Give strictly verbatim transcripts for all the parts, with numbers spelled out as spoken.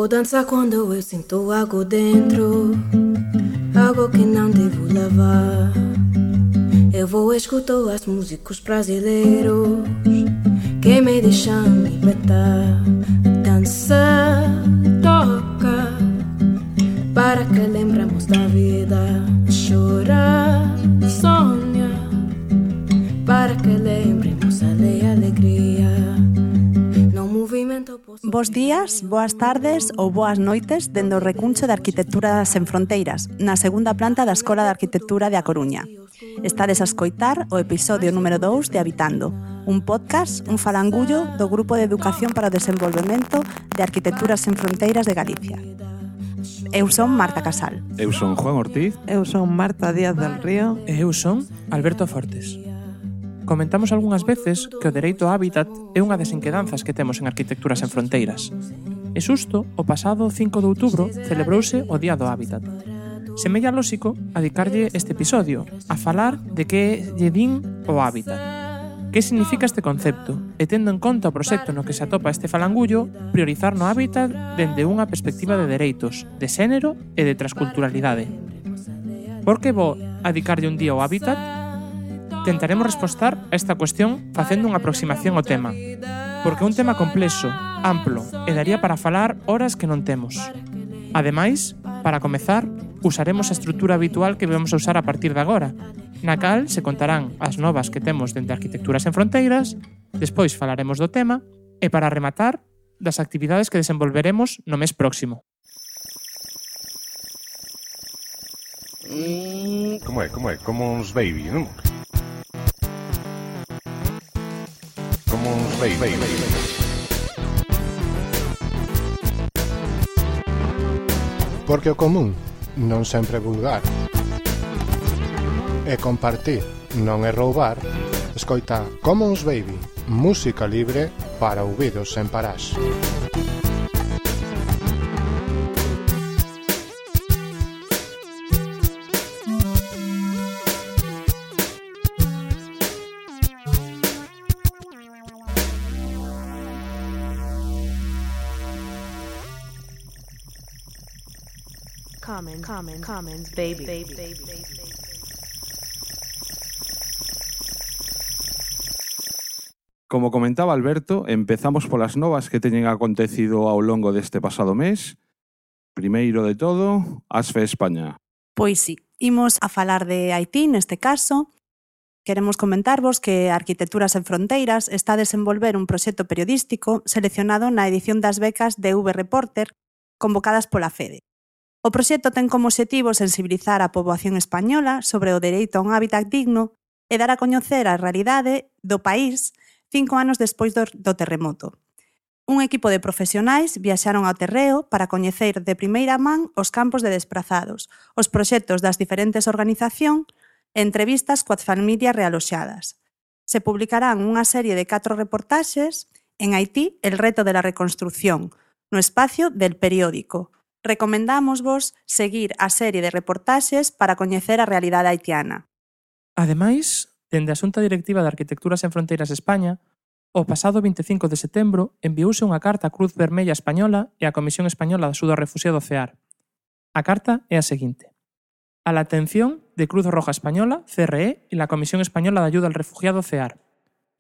Vou dançar quando eu sinto algo dentro, algo que não devo levar. Eu vou escutar as músicos brasileiros que me deixam libertar. Dança, toca, para que lembremos da vida. Chora, sonha, para que lembremos a alegria. Bos días, boas tardes ou boas noites dende o recuncho de Arquitectura Sen Fronteiras, na segunda planta da Escola de Arquitectura de A Coruña. Estades a escoitar o episodio número dous de Habitando, un podcast, un falangullo do Grupo de Educación para o Desenvolvemento de Arquitectura Sen Fronteiras de Galicia. Eu son Marta Casal. Eu son Juan Ortiz. Eu son Marta Díaz del Río. E eu son Alberto Fortes. Comentamos algunhas veces que o dereito ao hábitat é unha das inquedanzas que temos en Arquitectura Sen Fronteiras. E xusto, o pasado cinco de outubro celebrouse o Día do Hábitat. Semella lóxico adicarlle este episodio a falar de que lle din o hábitat. Que significa este concepto? E tendo en conta o proxecto no que se atopa este falangullo, priorizar no hábitat dende unha perspectiva de dereitos, de xénero e de transculturalidade. Por que vou adicarlle un día ao hábitat? Tentaremos respostar a esta cuestión facendo unha aproximación ao tema, porque é un tema complexo, amplo, e daría para falar horas que non temos. Ademais, para comezar, usaremos a estrutura habitual que vamos a usar a partir de agora, na cal se contarán as novas que temos dende Arquitectura Sen Fronteiras, despois falaremos do tema, e para rematar, das actividades que desenvolveremos no mes próximo. Como é, como é? Como uns baby, non? Como uns baby, baby, baby. Porque o común non sempre é vulgar. E compartir non é roubar. Escoita Commons Baby, música libre para ouvidos sen parás. Common, common, commons, baby, baby, baby, baby. Como comentaba Alberto, empezamos polas novas que teñen acontecido ao longo deste pasado mes. Primeiro de todo, ASFE España. Pois sí, imos a falar de Haití neste caso. Queremos comentarvos que Arquitectura Sen Fronteiras está a desenvolver un proxecto periodístico seleccionado na edición das becas de V Reporter convocadas pola FEDE. O proxecto ten como obxectivo sensibilizar a poboación española sobre o dereito a un hábitat digno e dar a coñecer a realidade do país cinco anos despois do, do terremoto. Un equipo de profesionais viaxaron ao terreo para coñecer de primeira man os campos de desprazados, os proxectos das diferentes organizacións e entrevistas coas familias realoxadas. Se publicarán unha serie de catro reportaxes en Haití, el reto de la reconstrucción, no espacio del periódico. Recomendámosvos seguir a serie de reportaxes para coñecer a realidade haitiana. Ademais, dende a Xunta Directiva de Arquitectura Sen Fronteiras España, o pasado vinte e cinco de setembro enviouse unha carta á Cruz Vermella Española e á Comisión Española de Axuda ao Refuxiado C E A R. A carta é a seguinte: a la atención de Cruz Roja Española, C R E, e la Comisión Española de Ayuda al Refugiado C E A R.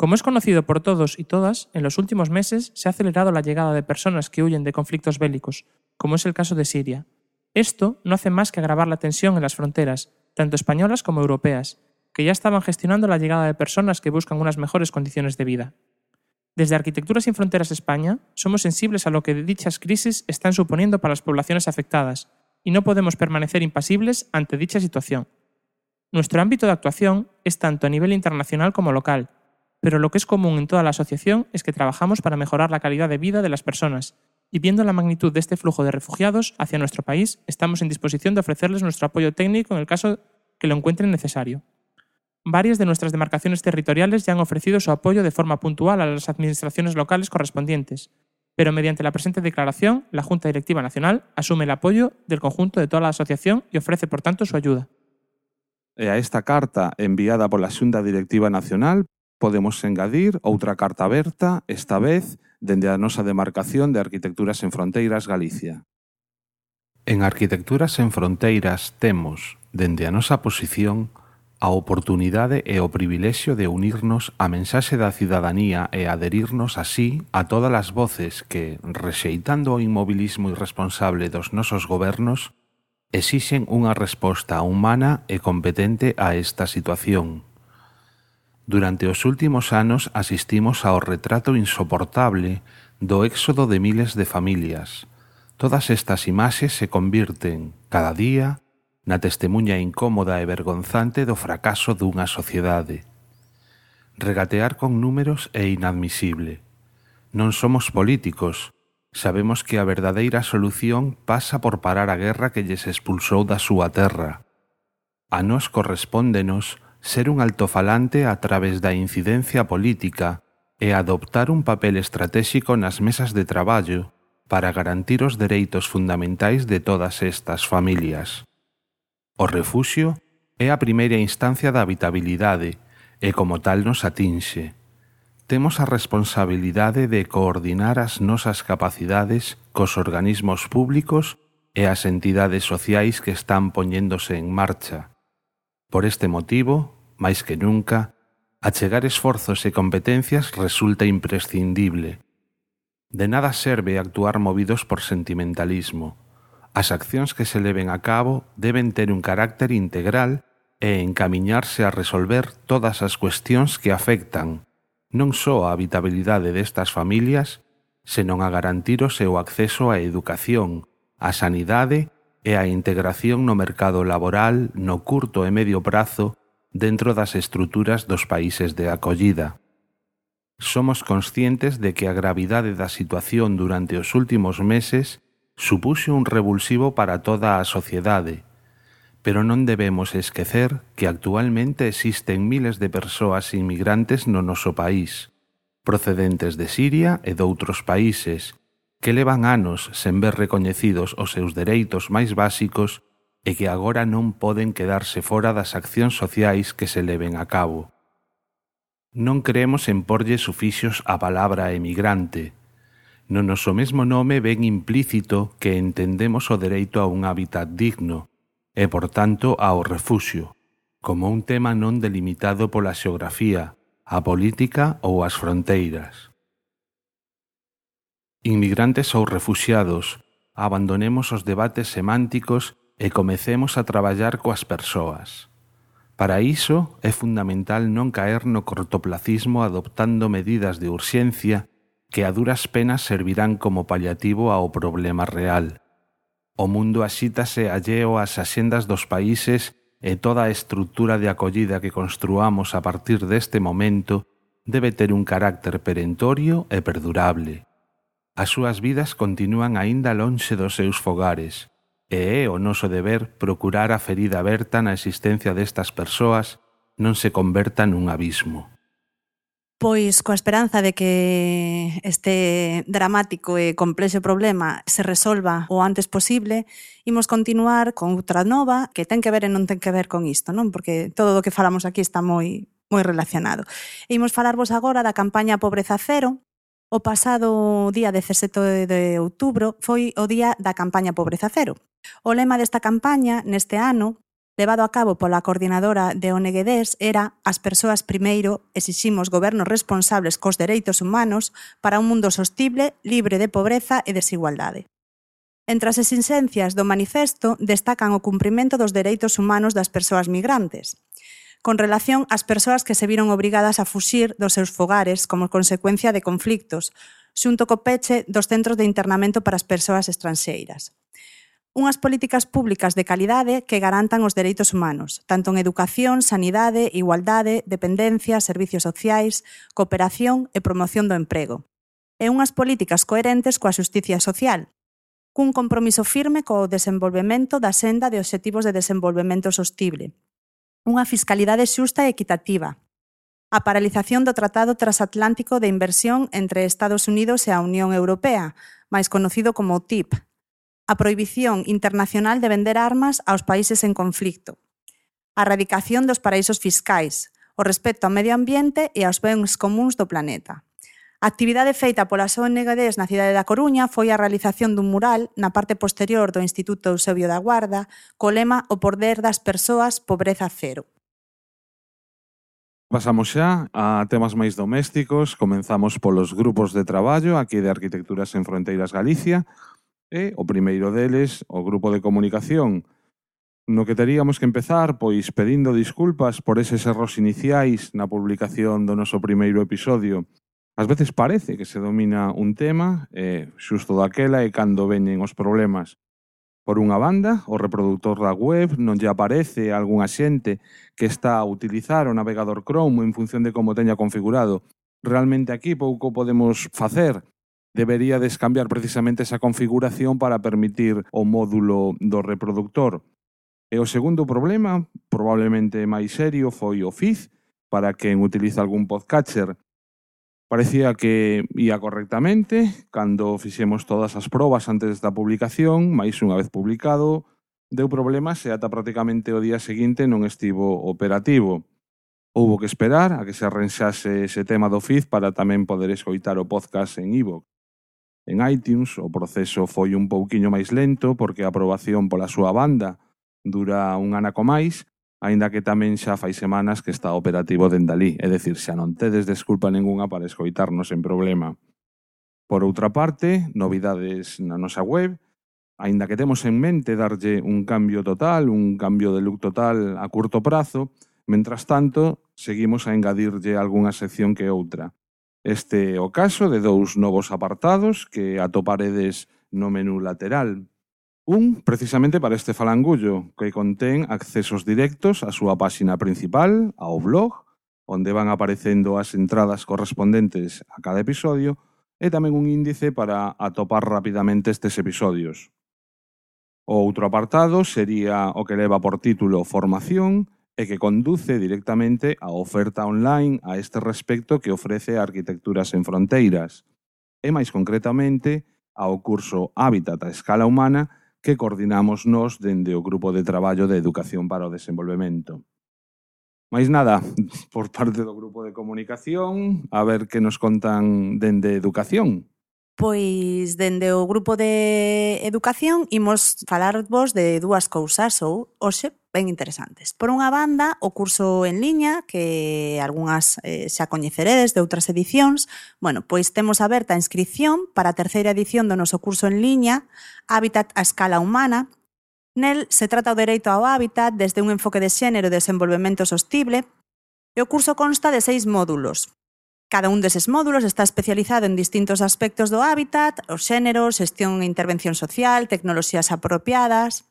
Como es conocido por todos y todas, en los últimos meses se ha acelerado la llegada de personas que huyen de conflictos bélicos, como es el caso de Siria. Esto no hace más que agravar la tensión en las fronteras, tanto españolas como europeas, que ya estaban gestionando la llegada de personas que buscan unas mejores condiciones de vida. Desde Arquitectura Sin Fronteras España, somos sensibles a lo que dichas crisis están suponiendo para las poblaciones afectadas, y no podemos permanecer impasibles ante dicha situación. Nuestro ámbito de actuación es tanto a nivel internacional como local, pero lo que es común en toda la asociación es que trabajamos para mejorar la calidad de vida de las personas, y viendo la magnitud de este flujo de refugiados hacia nuestro país, estamos en disposición de ofrecerles nuestro apoyo técnico en el caso que lo encuentren necesario. Varias de nuestras demarcaciones territoriales ya han ofrecido su apoyo de forma puntual a las administraciones locales correspondientes, pero mediante la presente declaración, la Junta Directiva Nacional asume el apoyo del conjunto de toda la asociación y ofrece, por tanto, su ayuda. E a esta carta enviada pola Xunta Directiva Nacional podemos engadir outra carta aberta, esta vez dende a nosa demarcación de Arquitecturas en Fronteiras Galicia. En Arquitecturas en Fronteiras temos, dende a nosa posición, a oportunidade e o privilexio de unirnos á mensaxe da cidadanía e adherirnos así a todas as voces que, rexeitando o inmobilismo irresponsable dos nosos gobernos, exixen unha resposta humana e competente a esta situación. Durante os últimos anos asistimos ao retrato insoportable do éxodo de miles de familias. Todas estas imaxes se convirten, cada día, na testemunha incómoda e vergonzante do fracaso dunha sociedade. Regatear con números é inadmisible. Non somos políticos, sabemos que a verdadeira solución pasa por parar a guerra que lles expulsou da súa terra. A nós correspóndenos ser un altofalante a través da incidencia política e adoptar un papel estratéxico nas mesas de traballo para garantir os dereitos fundamentais de todas estas familias. O refuxio é a primeira instancia da habitabilidade e como tal nos atinxe. Temos a responsabilidade de coordinar as nosas capacidades cos organismos públicos e as entidades sociais que están poñéndose en marcha. Por este motivo, máis que nunca, achegar esforzos e competencias resulta imprescindible. De nada serve actuar movidos por sentimentalismo. As accións que se leven a cabo deben ter un carácter integral e encamiñarse a resolver todas as cuestións que afectan non só a habitabilidade destas familias, senón a garantir o seu acceso á educación, á sanidade e á integración no mercado laboral no curto e medio prazo dentro das estruturas dos países de acollida. Somos conscientes de que a gravidade da situación durante os últimos meses supuxo un revulsivo para toda a sociedade, pero non debemos esquecer que actualmente existen miles de persoas inmigrantes no noso país, procedentes de Siria e doutros países, que levan anos sen ver recoñecidos os seus dereitos máis básicos e que agora non poden quedarse fora das accións sociais que se leven a cabo. Non creemos en porlle sufixos á palabra emigrante. No noso mesmo nome ven implícito que entendemos o dereito a un hábitat digno e, por tanto, ao refuxio, como un tema non delimitado pola xeografía, a política ou as fronteiras. Inmigrantes ou refuxiados, abandonemos os debates semánticos e comecemos a traballar coas persoas. Para iso é fundamental non caer no cortoplacismo adoptando medidas de urxencia que a duras penas servirán como paliativo ao problema real. O mundo axítase alleo ás axendas dos países e toda a estrutura de acollida que construamos a partir deste momento debe ter un carácter perentorio e perdurable. As súas vidas continúan aínda lonxe dos seus fogares, e é o noso deber procurar a ferida aberta na existencia destas persoas non se converta nun abismo. Pois coa esperanza de que este dramático e complexo problema se resolva o antes posible, imos continuar con outra nova que ten que ver e non ten que ver con isto, non? Porque todo o que falamos aquí está moi moi relacionado. E imos falarvos agora da campaña Pobreza Cero. O pasado día dezasete de outubro foi o día da campaña Pobreza Cero. O lema desta campaña, neste ano, levado a cabo pola coordinadora de O N G D E S, era «As persoas primeiro, exiximos gobernos responsables cos dereitos humanos para un mundo sostible, libre de pobreza e desigualdade». Entre as exixencias do manifesto destacan o cumprimento dos dereitos humanos das persoas migrantes, con relación ás persoas que se viron obrigadas a fuxir dos seus fogares como consecuencia de conflictos, xunto co peche dos centros de internamento para as persoas estranxeiras. Unhas políticas públicas de calidade que garantan os dereitos humanos, tanto en educación, sanidade, igualdade, dependencia, servicios sociais, cooperación e promoción do emprego. E unhas políticas coherentes coa xusticia social, cun compromiso firme co desenvolvemento da senda de obxectivos de desenvolvemento sostible. Unha fiscalidade xusta e equitativa. A paralización do Tratado Transatlántico de Inversión entre Estados Unidos e a Unión Europea, máis conocido como T I P. A prohibición internacional de vender armas aos países en conflicto, a erradicación dos paraísos fiscais, o respecto ao medio ambiente e aos bens comuns do planeta. A actividade feita polas O N Gs na cidade da Coruña foi a realización dun mural na parte posterior do Instituto Eusebio da Guarda co lema O poder das persoas, pobreza cero. Pasamos xa a temas máis domésticos. Comenzamos polos grupos de traballo aquí de Arquitecturas en Fronteiras Galicia e o primeiro deles, o grupo de comunicación, no que teríamos que empezar pois pedindo disculpas por eses erros iniciais na publicación do noso primeiro episodio. Ás veces parece que se domina un tema e xusto daquela é cando veñen os problemas. Por unha banda, o reproductor da web non lle aparece a algunha xente que está a utilizar o navegador Chrome en función de como teña configurado. Realmente aquí pouco podemos facer. Deberíades cambiar precisamente esa configuración para permitir o módulo do reproductor. E o segundo problema, probablemente máis serio, foi o feed, para quen utiliza algún podcatcher. Parecía que ia correctamente cando fixemos todas as probas antes da publicación, mais unha vez publicado, deu problemas e ata prácticamente o día seguinte non estivo operativo. Houbo que esperar a que se arranxase ese tema do feed para tamén poder escoitar o podcast en iVoox. En iTunes o proceso foi un pouquiño máis lento porque a aprobación pola súa banda dura un anaco máis, aínda que tamén xa fai semanas que está operativo dende alí, é dicir, xa non tedes desculpa ningunha para escoitarnos en problema. Por outra parte, novidades na nosa web, aínda que temos en mente darlle un cambio total, un cambio de look total a curto prazo, mentras tanto, seguimos a engadirlle algunha sección que outra. Este é o caso de dous novos apartados que atoparedes no menú lateral. Un, precisamente para este falangullo, que contén accesos directos á súa páxina principal, ao blog, onde van aparecendo as entradas correspondentes a cada episodio, e tamén un índice para atopar rapidamente estes episodios. O outro apartado sería o que leva por título Formación e que conduce directamente á oferta online a este respecto que ofrece Arquitecturas en Fronteiras, e máis concretamente ao curso Hábitat a escala humana que coordinamos nós dende o Grupo de Traballo de Educación para o Desenvolvemento. Mais nada, por parte do Grupo de Comunicación, a ver que nos contan dende Educación. Pois, dende o Grupo de Educación, imos falarvos de dúas cousas ou, hoxe, ben interesantes. Por unha banda, o curso en liña, que algunhas eh, xa coñeceredes de outras edicións. Bueno, pois temos aberta a inscripción para a terceira edición do noso curso en liña, Hábitat a escala humana. Nel se trata o dereito ao hábitat desde un enfoque de xénero e desenvolvemento sostible, e o curso consta de seis módulos. Cada un deses módulos está especializado en distintos aspectos do hábitat, os xéneros, xestión e intervención social, tecnoloxías apropiadas.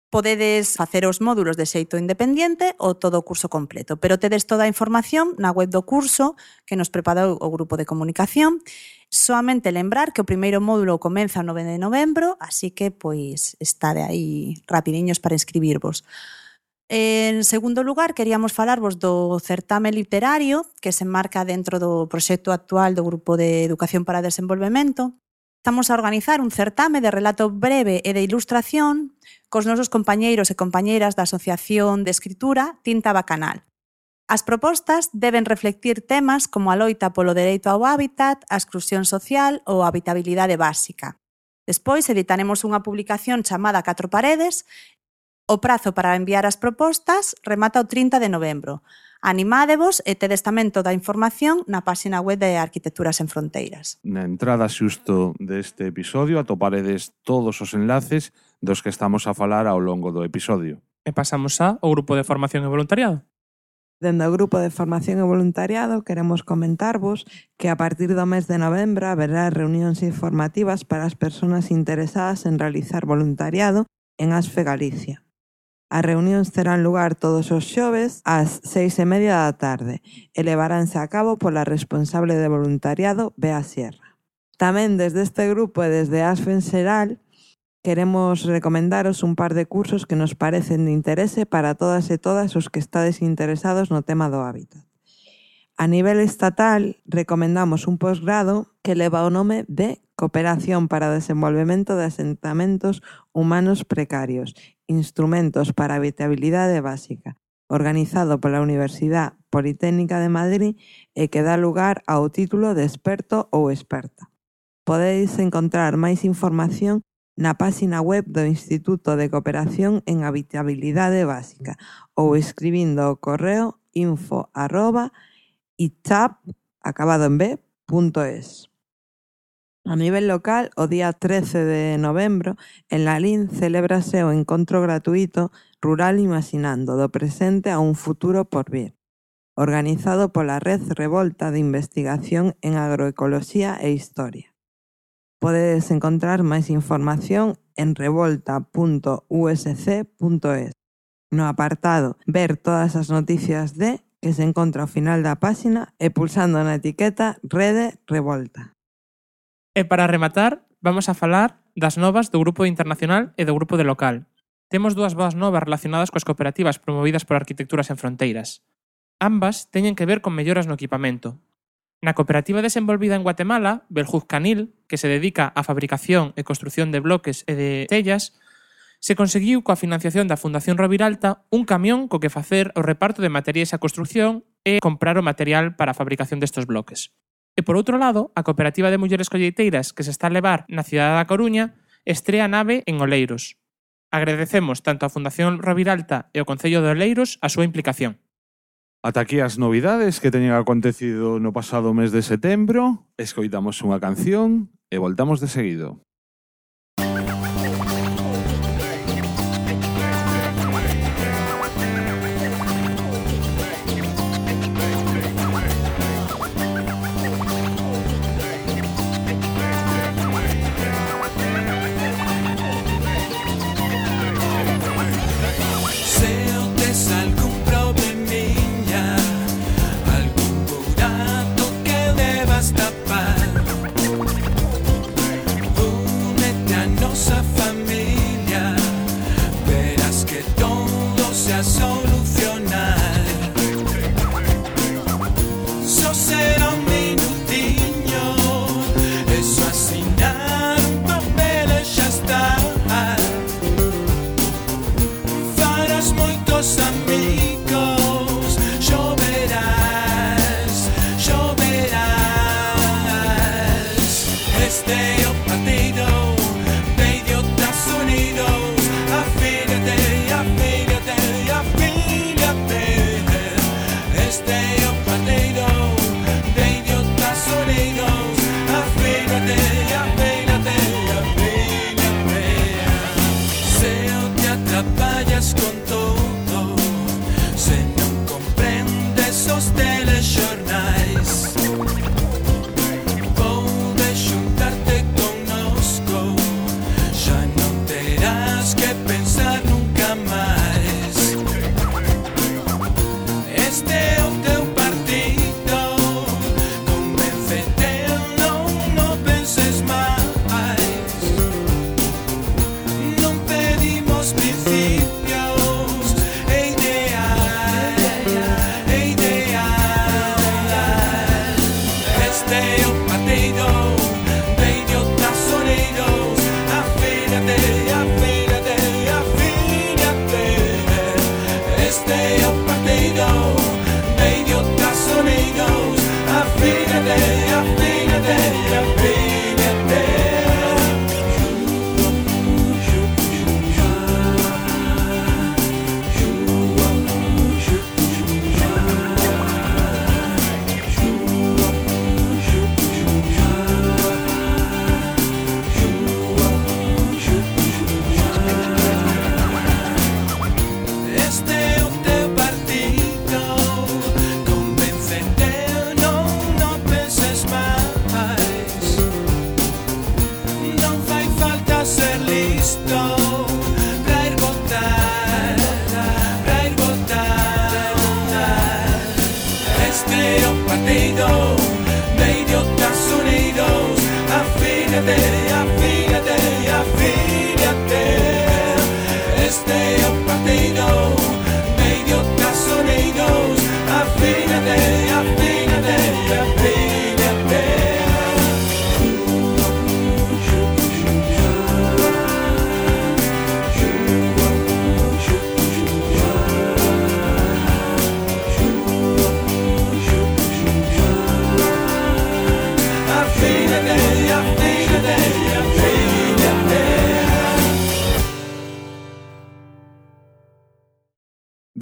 Podedes facer os módulos de xeito independiente ou todo o curso completo, pero tedes toda a información na web do curso que nos preparou o Grupo de Comunicación. Soamente lembrar que o primeiro módulo comeza o nove de novembro, así que pois está de aí rapidiños para inscribirvos. En segundo lugar, queríamos falarvos do certame literario que se enmarca dentro do proxecto actual do Grupo de Educación para o Desenvolvemento. Estamos a organizar un certame de relato breve e de ilustración cos nosos compañeiros e compañeiras da Asociación de Escritura Tinta Bacanal. As propostas deben reflectir temas como a loita polo dereito ao hábitat, a exclusión social ou a habitabilidade básica. Despois editaremos unha publicación chamada Catro Paredes. O prazo para enviar as propostas remata o trinta de novembro. Animádevos e tedes tamén toda a información na páxina web de Arquitecturas en Fronteiras. Na entrada xusto deste episodio atoparedes todos os enlaces dos que estamos a falar ao longo do episodio. E pasamos xa ao Grupo de Formación e Voluntariado. Dende o Grupo de Formación e Voluntariado queremos comentarvos que a partir do mes de novembro haberá reunións informativas para as persoas interesadas en realizar voluntariado en ASFE Galicia. As reunións terán lugar todos os xoves ás seis e media da tarde e levaránse a cabo pola responsable de voluntariado, Bea Sierra. Tamén desde este grupo e desde ASFE en xeral queremos recomendaros un par de cursos que nos parecen de interese para todas e todas os que estades interesados no tema do hábitat. A nivel estatal, recomendamos un posgrado que leva o nome de Cooperación para o Desenvolvemento de Asentamentos Humanos Precarios, Instrumentos para a Habitabilidade Básica, organizado pola Universidade Politécnica de Madrid e que dá lugar ao título de experto ou experta. Podedes encontrar máis información na páxina web do Instituto de Cooperación en Habitabilidade Básica ou escribindo o correo info arroba itap acabado en b punto es. A nivel local, o día trece de novembro, en Lalín celébrase o encontro gratuito Rural Imaginando, do presente a un futuro por vir, organizado pola Red Revolta de Investigación en Agroecoloxía e Historia. Podedes encontrar máis información en revolta punto u ese ce punto es. No apartado Ver todas as noticias de, que se encontra ao final da páxina, e pulsando na etiqueta Rede Revolta. E para rematar, vamos a falar das novas do Grupo Internacional e do Grupo de Local. Temos dúas boas novas relacionadas coas cooperativas promovidas por Arquitecturas Sen Fronteiras. Ambas teñen que ver con melloras no equipamento. Na cooperativa desenvolvida en Guatemala, Beljuzcanil, que se dedica á fabricación e construción de bloques e de tellas, se conseguiu coa financiación da Fundación Roviralta un camión co que facer o reparto de materiais a construción e comprar o material para a fabricación destes bloques. E por outro lado, a Cooperativa de Mulleres Colleiteiras que se está a levar na cidade da Coruña estrea nave en Oleiros. Agradecemos tanto á Fundación Roviralta e ao Concello de Oleiros a súa implicación. Ata aquí as novidades que teñen acontecido no pasado mes de setembro. Escoitamos unha canción e voltamos de seguido.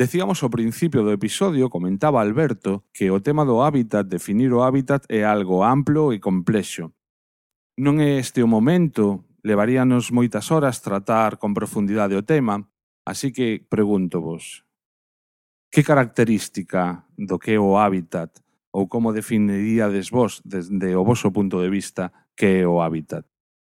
Decíamos ao principio do episodio, comentaba Alberto, que o tema do hábitat, definir o hábitat, é algo amplo e complexo. Non é este o momento, levaríanos moitas horas tratar con profundidade o tema, así que pregúntovos, que característica do que é o hábitat ou como definiríades vos desde o voso punto de vista que é o hábitat?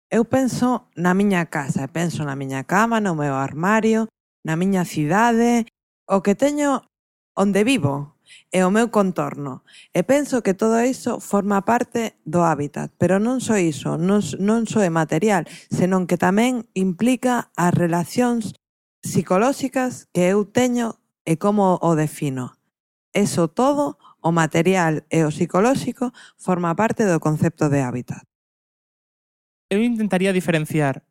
Eu penso na miña casa, penso na miña cama, no meu armario, na miña cidade, o que teño onde vivo e o meu contorno. E penso que todo iso forma parte do hábitat, pero non só iso, non, non só é material, senón que tamén implica as relacións psicolóxicas que eu teño e como o defino. Eso todo, o material e o psicolóxico, forma parte do concepto de hábitat. Eu intentaría diferenciar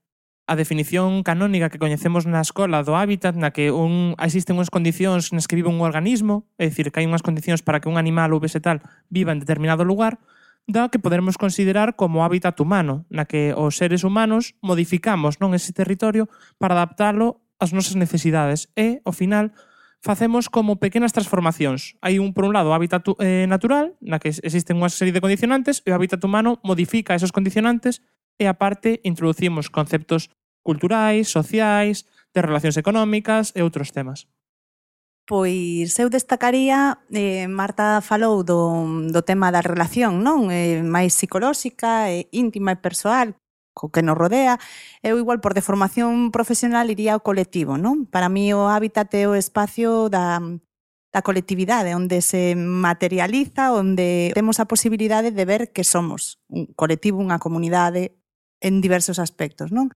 a definición canónica que coñecemos na escola do hábitat, na que un, existen unhas condicións nas que vive un organismo, é dicir, que hai unhas condicións para que un animal ou vegetal viva en determinado lugar, da que poderemos considerar como hábitat humano, na que os seres humanos modificamos non ese territorio para adaptalo ás nosas necesidades e, ao final, facemos como pequenas transformacións. Hai un, por un lado, o hábitat eh, natural, na que existen unha serie de condicionantes, e o hábitat humano modifica esos condicionantes e, aparte, introducimos conceptos culturais, sociais, de relacións económicas e outros temas. Pois eu destacaría, eh, Marta falou do, do tema da relación, non? Eh, máis psicolóxica, eh, íntima e persoal, co que nos rodea. Eu igual por deformación profesional iría ao colectivo, non? Para mí o hábitat é o espacio da, da colectividade, onde se materializa, onde temos a posibilidade de ver que somos un colectivo, unha comunidade, en diversos aspectos, non?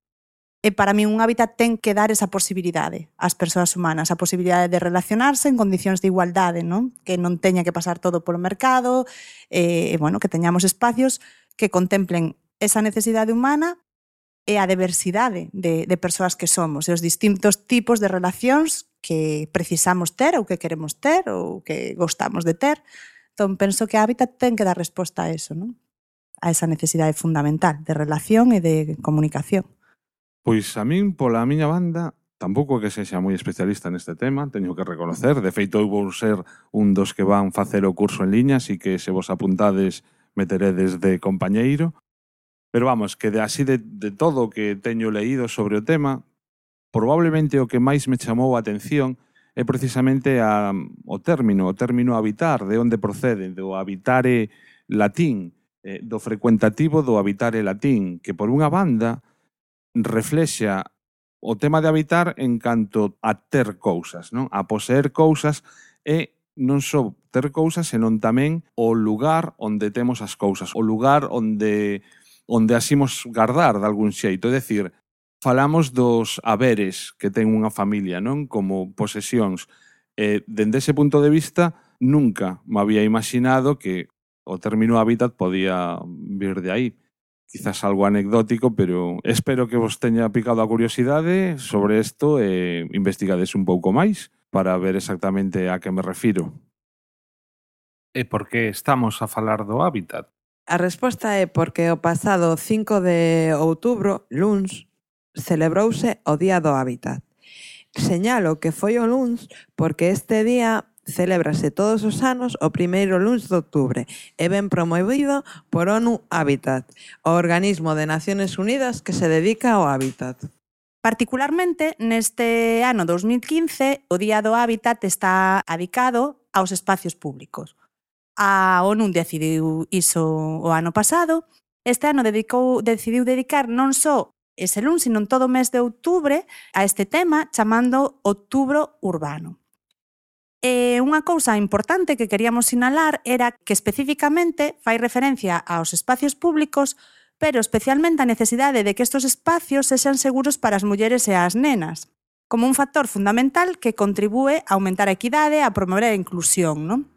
E para mí un hábitat ten que dar esa posibilidade ás persoas humanas, a posibilidade de relacionarse en condicións de igualdade, non? Que non teña que pasar todo polo mercado, e, bueno, que teñamos espacios que contemplen esa necesidade humana e a diversidade de, de persoas que somos, e os distintos tipos de relacións que precisamos ter ou que queremos ter ou que gostamos de ter. Entón, penso que a hábitat ten que dar resposta a eso, non? A esa necesidade fundamental de relación e de comunicación. Pois a min, pola miña banda, tampouco que sexa moi especialista neste tema, teño que reconocer. De feito, eu vou ser un dos que van facer o curso en liña, así que se vos apuntades meteredes de compañeiro. Pero vamos, que de así de, de todo o que teño leído sobre o tema, probablemente o que máis me chamou a atención é precisamente a, o término, o término habitar, de onde procede, do habitare latín, eh, do frecuentativo do habitare latín, que por unha banda reflexa o tema de habitar en canto a ter cousas, non? A poseer cousas e non só ter cousas, senón tamén o lugar onde temos as cousas, o lugar onde onde asimos guardar de algún xeito, é dicir, falamos dos haberes que ten unha familia, non? Como posesións. E, dende ese punto de vista, nunca me había imaginado que o término hábitat podía vir de aí. Quizás algo anecdótico, pero espero que vos teña picado a curiosidade sobre isto e investigades un pouco máis para ver exactamente a que me refiro. E por que estamos a falar do hábitat? A resposta é porque o pasado cinco de outubro, luns, celebrouse o Día do Hábitat. Señalo que foi o luns porque este día celébrase todos os anos o primeiro luns de outubro e ben promovido por ONU Habitat, o organismo de Naciones Unidas que se dedica ao hábitat. Particularmente, neste ano dos mil quince, o Día do Hábitat está adicado aos espacios públicos. A ONU decidiu iso o ano pasado. Este ano dedicou, decidiu dedicar non só ese luns, sino todo o mes de outubro a este tema, chamando Outubro Urbano. E unha cousa importante que queríamos sinalar era que especificamente fai referencia aos espacios públicos, pero especialmente a necesidade de que estos espacios sexan seguros para as mulleres e as nenas, como un factor fundamental que contribúe a aumentar a equidade e a promover a inclusión, non?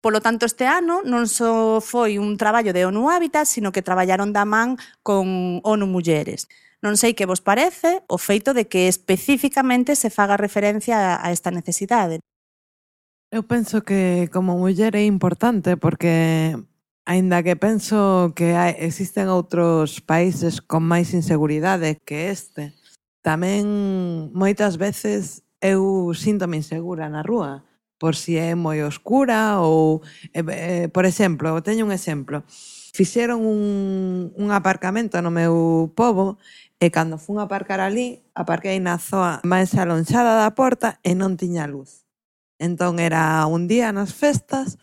Polo tanto, este ano non só foi un traballo de ONU Habitat, sino que traballaron da man con ONU Mulleres. Non sei que vos parece o feito de que especificamente se faga referencia a esta necesidade. Eu penso que como muller é importante porque, aínda que penso que hai, existen outros países con máis inseguridade que este, tamén moitas veces eu síntome insegura na rúa, por si é moi oscura ou, eh, eh, por exemplo, teño un exemplo. Fixeron un, un aparcamento no meu pobo e cando fun a aparcar ali, aparquei na zoa máis alonxada da porta e non tiña luz. Entón era un día nas festas,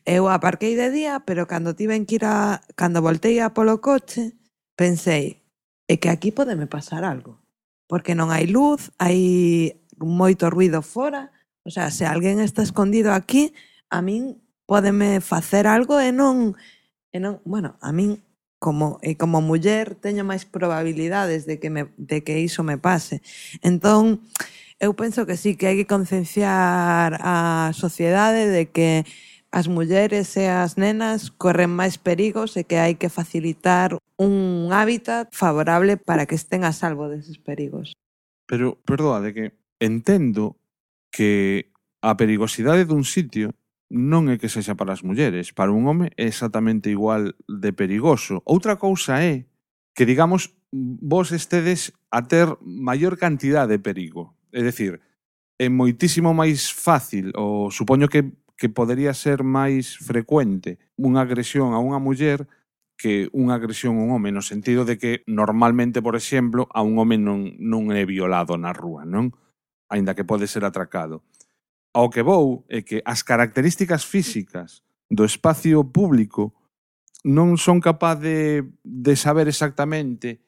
eu aparquei de día, pero cando tiven que ir a, cando voltei a polo coche, pensei, é que aquí podeme pasar algo, porque non hai luz, hai moito ruido fora, o sea, se alguén está escondido aquí, a min pódeme facer algo e non, e non, bueno, a min como e como muller teño máis probabilidades de que me de que iso me pase. Entón, eu penso que sí, que hai que concienciar a sociedade de que as mulleres e as nenas corren máis perigos e que hai que facilitar un hábitat favorable para que estén a salvo deses perigos. Pero, perdoade, que entendo que a perigosidade dun sitio non é que sexa para as mulleres. Para un home é exactamente igual de perigoso. Outra cousa é que, digamos, vos estedes a ter maior cantidade de perigo. É dicir, é moitísimo máis fácil, ou supoño que que podería ser máis frecuente unha agresión a unha muller que unha agresión a un home, no sentido de que normalmente, por exemplo, a un home non, non é violado na rúa, non? Aínda que pode ser atracado. Ao que vou é que as características físicas do espacio público non son capaz de, de saber exactamente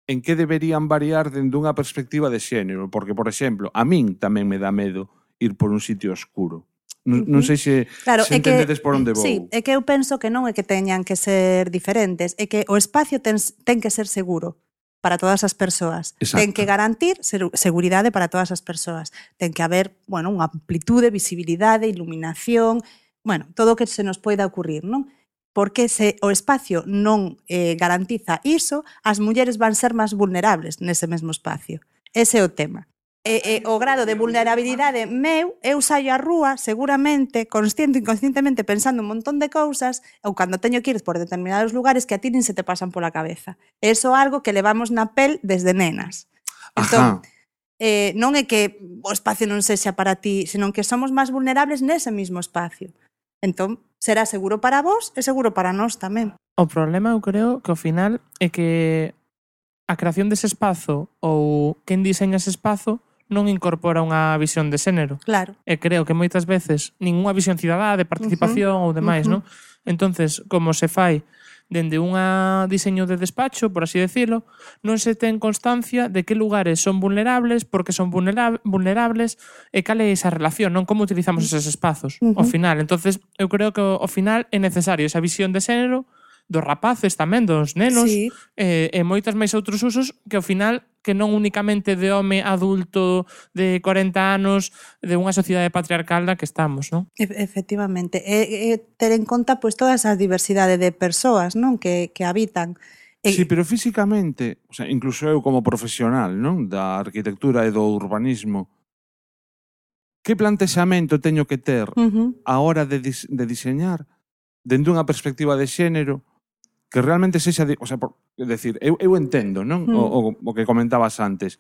en que deberían variar dende unha perspectiva de xénero, porque, por exemplo, a min tamén me dá medo ir por un sitio oscuro. Non, non sei se, claro, se é entendedes que, por onde vou. Sí, é que eu penso que non é que teñan que ser diferentes, é que o espacio ten, ten que ser seguro para todas as persoas. Exacto. Ten que garantir seguridade para todas as persoas. Ten que haber, bueno, unha amplitude, visibilidade, iluminación, bueno, todo o que se nos poida ocurrir, non? Porque se o espacio non eh, garantiza iso, as mulleres van ser máis vulnerables nese mesmo espacio. Ese é o tema. E, e o grado de vulnerabilidade meu, eu saio á rúa, seguramente, consciente e inconscientemente, pensando un montón de cousas, ou cando teño que ir por determinados lugares que a ti nin se te pasan pola cabeza. Eso é algo que levamos na pel desde nenas. Entón, eh, non é que o espacio non sexa para ti, senón que somos máis vulnerables nese mismo espacio. Entón, será seguro para vos e seguro para nós tamén. O problema, eu creo, que ao final é que a creación dese espazo ou quen diseña ese espazo non incorpora unha visión de xénero. Claro. E creo que moitas veces ninguna visión cidadá de participación uh-huh. ou demais, uh-huh. non? Entonces, como se fai dende un diseño de despacho, por así decirlo, non se ten constancia de que lugares son vulnerables, porque son vulnera- vulnerables, e cal é esa relación, non como utilizamos eses espazos uh-huh. ao final. Entonces, eu creo que ao final é necesario esa visión de xénero dos rapaces tamén, dos nenos, sí. e, e moitas máis outros usos que ao final que non únicamente de home adulto de corenta anos de unha sociedade patriarcal da que estamos, non? E- efectivamente. E, e ter en conta pois, toda esa diversidade de persoas, non, que, que habitan. E... Sí, pero físicamente, o sea, incluso eu como profesional, non, da arquitectura e do urbanismo, que plantexamento teño que ter Uh-huh. a hora de, dis- de diseñar dende unha perspectiva de xénero que realmente sexa, de, o sea, por, é decir, eu, eu entendo, non? Mm. O, o, o que comentabas antes,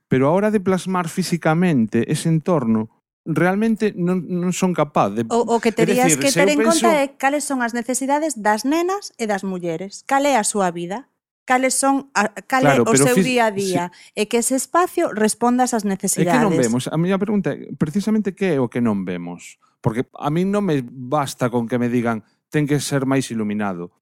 pero a hora de plasmar físicamente ese entorno, realmente non, non son capaz de... O, o que terías decir, que se ter eu en penso- conta é cales son as necesidades das nenas e das mulleres. Cal é a súa vida? Cales son a, cal Claro, é o pero seu fis- día a día? E que ese espacio responda ás É necesidades. que non vemos. A miña pregunta é precisamente que é o que non vemos. Porque a mí non me basta con que me digan ten que ser máis iluminado.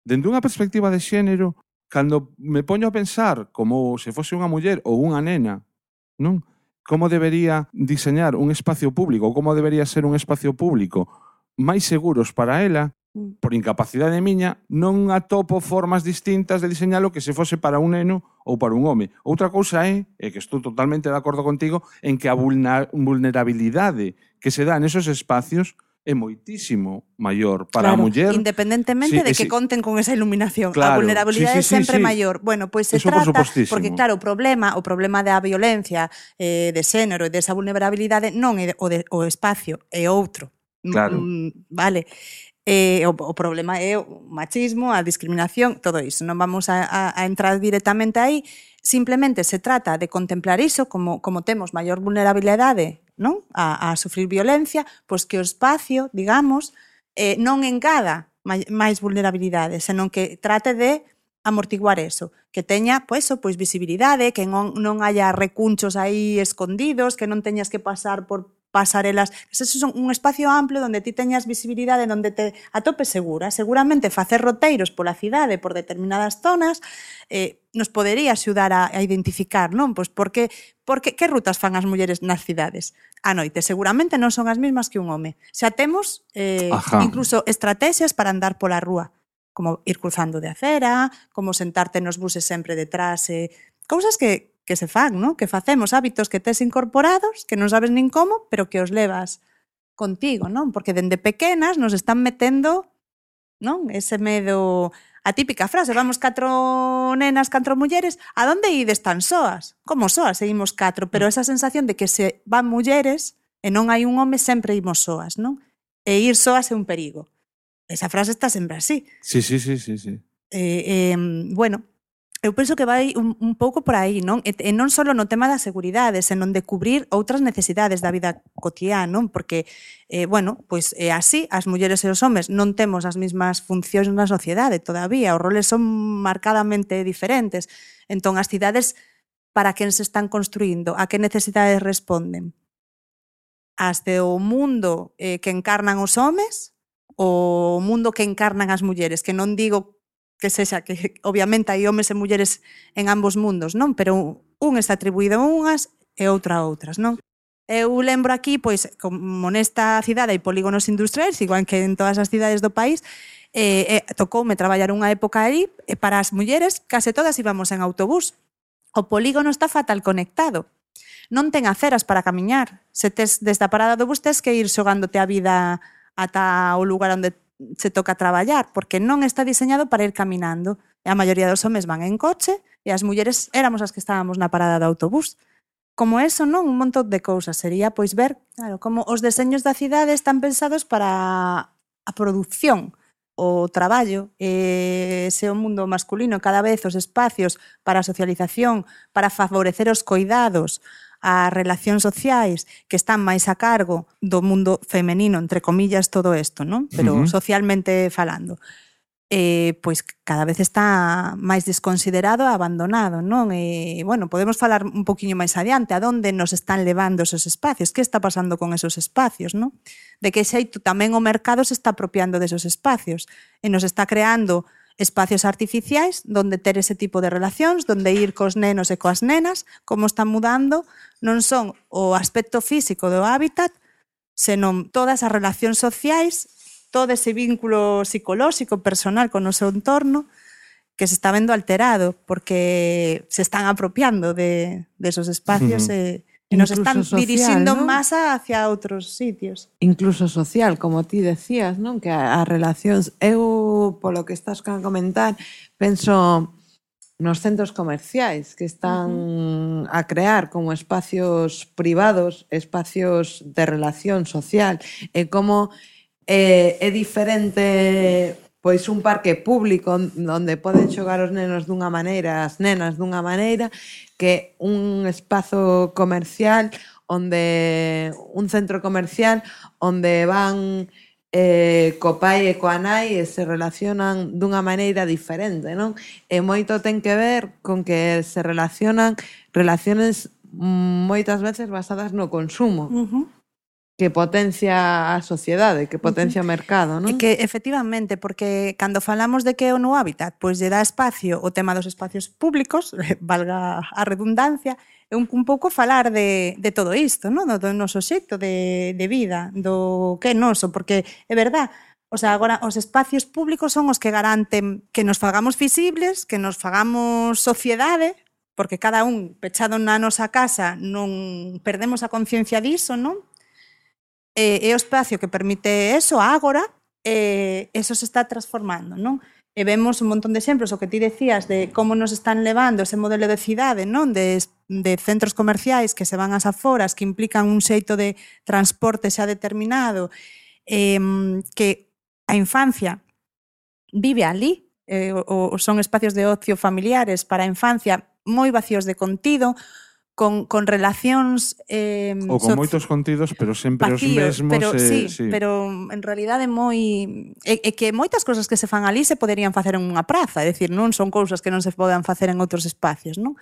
Dende unha perspectiva de xénero, cando me poño a pensar como se fose unha muller ou unha nena, non? Como debería diseñar un espacio público, como debería ser un espacio público máis seguros para ela, por incapacidade miña, non atopo formas distintas de diseñalo que se fose para un neno ou para un home. Outra cousa é, e que estou totalmente de acordo contigo, en que a vulna- vulnerabilidade que se dá nesos espacios é moitísimo maior para Claro, a muller. independentemente Sí, de ese- que conten con esa iluminación. Claro, a vulnerabilidade sí, sí, é sempre sí, sí. maior. Bueno, pois se Eso por trata, supostísimo. porque claro, o problema, o problema da violencia eh, de xénero e desa vulnerabilidade non é o, de, o espacio, é outro. Claro. Mm, vale. Eh, o, o problema é o machismo, a discriminación, todo iso. Non vamos a, a, a entrar directamente aí, simplemente se trata de contemplar iso como, como temos maior vulnerabilidade, non? A, a sufrir violencia, pois que o espacio, digamos, eh, non engada máis vulnerabilidade, senón que trate de amortiguar eso, que teña pois, pois visibilidade, que non, non haya recunchos aí escondidos, que non teñas que pasar por pasarelas, que eso son un espacio amplio onde ti teñas visibilidade, onde te atopes segura. Seguramente facer roteiros pola cidade, por determinadas zonas, eh, nos podería axudar a, a identificar, non? Pois porque, porque que rutas fan as mulleres nas cidades? A noite, seguramente non son as mesmas que un home. Xa temos eh, incluso estrategias para andar pola rúa, como ir cruzando de acera, como sentarte nos buses sempre detrás, eh, cousas que, que se fan, ¿no? Que facemos, hábitos que tes incorporados, que non sabes nin como, pero que os levas contigo, non? Porque dende pequenas nos están metendo, non? Ese medo, a típica frase, vamos catro nenas, catro mulleres, a donde ides tan soas? Como soas, seguimos catro, pero esa sensación de que se van mulleres e non hai un home, sempre imos soas, non? E ir soas é un perigo. Esa frase está sempre así. Sí, sí, sí, sí, sí. Eh, eh, bueno, eu penso que vai un, un pouco por aí, non? E, e non só no tema da seguridade, senón de cubrir outras necesidades da vida cotiá, non? Porque, eh, bueno, pois é así, as mulleres e os homes non temos as mesmas funcións na sociedade todavía, os roles son marcadamente diferentes. Entón, as cidades, para quen se están construindo, a que necesidades responden? As do mundo eh, que encarnan os homes, o mundo que encarnan as mulleres, que non digo que sexa, que obviamente hai homes e mulleres en ambos mundos, non? Pero un está atribuído a unhas e outra a outras, non? Eu lembro aquí, pois, como nesta cidade hai polígonos industriais, igual que en todas as cidades do país, eh, eh, tocoume traballar unha época aí, e para as mulleres case todas íbamos en autobús. O polígono está fatal conectado. Non ten aceras para camiñar. Se tes desde a parada do bus tes que ir xogándote a vida ata o lugar onde se toca traballar, porque non está diseñado para ir caminando. E a maioría dos homes van en coche e as mulleres éramos as que estábamos na parada do autobús. Como eso, non? Un montón de cousas. Sería, pois, ver, claro, como os deseños da cidade están pensados para a produción, o traballo, e ese o mundo masculino, cada vez os espacios para a socialización, para favorecer os coidados, as relacións sociais que están máis a cargo do mundo femenino, entre comillas, todo isto, non? Pero uh-huh. socialmente falando. Eh, pois cada vez está máis desconsiderado e abandonado, non? E, bueno, podemos falar un poquinho máis adiante, a donde nos están levando esos espacios, que está pasando con esos espacios, non? De que xeito tamén o mercado se está apropiando desos espacios e nos está creando espacios artificiais donde ter ese tipo de relacións, donde ir cos nenos e coas nenas, como están mudando, non son o aspecto físico do hábitat, senón todas as relacións sociais, todo ese vínculo psicolóxico, personal con o seu entorno, que se está vendo alterado, porque se están apropiando de, de esos espacios uh-huh. e, e nos están social, dirixindo ¿no? máis hacia outros sitios. Incluso social, como ti decías, non? Que as relacións, eu, polo que estás a comentar, penso nos centros comerciais que están uh-huh. a crear como espacios privados, espacios de relación social, e como eh, é diferente pois un parque público onde poden xogar os nenos dunha maneira, as nenas dunha maneira, que un espazo comercial onde un centro comercial onde van eh, co pai e coa nai e se relacionan dunha maneira diferente, non? E moito ten que ver con que se relacionan relaciones moitas veces basadas no consumo. Uh-huh. Que potencia a sociedade, que potencia o mercado, non? E que, efectivamente, porque cando falamos de que é o no hábitat, pois lle dá espacio o tema dos espacios públicos, valga a redundancia, é un, un pouco falar de, de todo isto, non? Do noso xeito de, de vida, do que é noso, porque é verdad, o sea, agora os espacios públicos son os que garanten que nos fagamos visibles, que nos fagamos sociedade, porque cada un pechado na nosa casa non perdemos a conciencia diso, non? E, e o espacio que permite eso, agora, e eso se está transformando, non? E vemos un montón de exemplos, o que ti decías, de como nos están levando ese modelo de cidade, non? De, de centros comerciais que se van ás aforas, que implican un xeito de transporte xa determinado, eh, que a infancia vive ali, eh, o, son espacios de ocio familiares para a infancia, moi vacíos de contido, con, con relacións... Eh, Ou con so, moitos contidos, pero sempre vacíos, os mesmos. pero, eh, sí, sí, pero en realidade moi... É, é que moitas cousas que se fan ali se poderían facer en unha praza, é dicir, non son cousas que non se poden facer en outros espacios, non?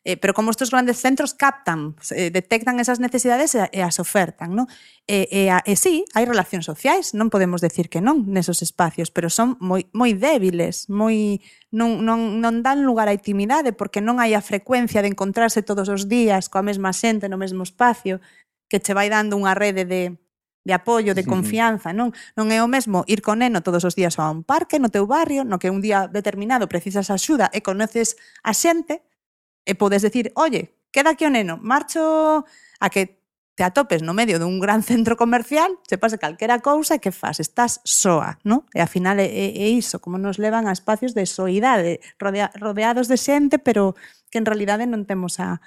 Eh, pero como estes grandes centros captan, eh, detectan esas necesidades e, e as ofertan, non? E, e, e sí, hai relacións sociais, non podemos decir que non nesos espacios, pero son moi, moi débiles, moi non, non, non dan lugar á intimidade porque non hai a frecuencia de encontrarse todos os días coa mesma xente no mesmo espacio que che vai dando unha rede de, de apoio, de confianza, non? Non é o mesmo ir con neno todos os días a un parque no teu barrio, no que un día determinado precisas axuda e conoces a xente, e podes decir, oye, queda aquí o neno, marcho a que te atopes no medio dun gran centro comercial, se pase calquera cousa e que faz? Estás soa, non? E ao final é, é iso, como nos levan a espacios de soidade, rodea, rodeados de xente, pero que en realidade non temos a,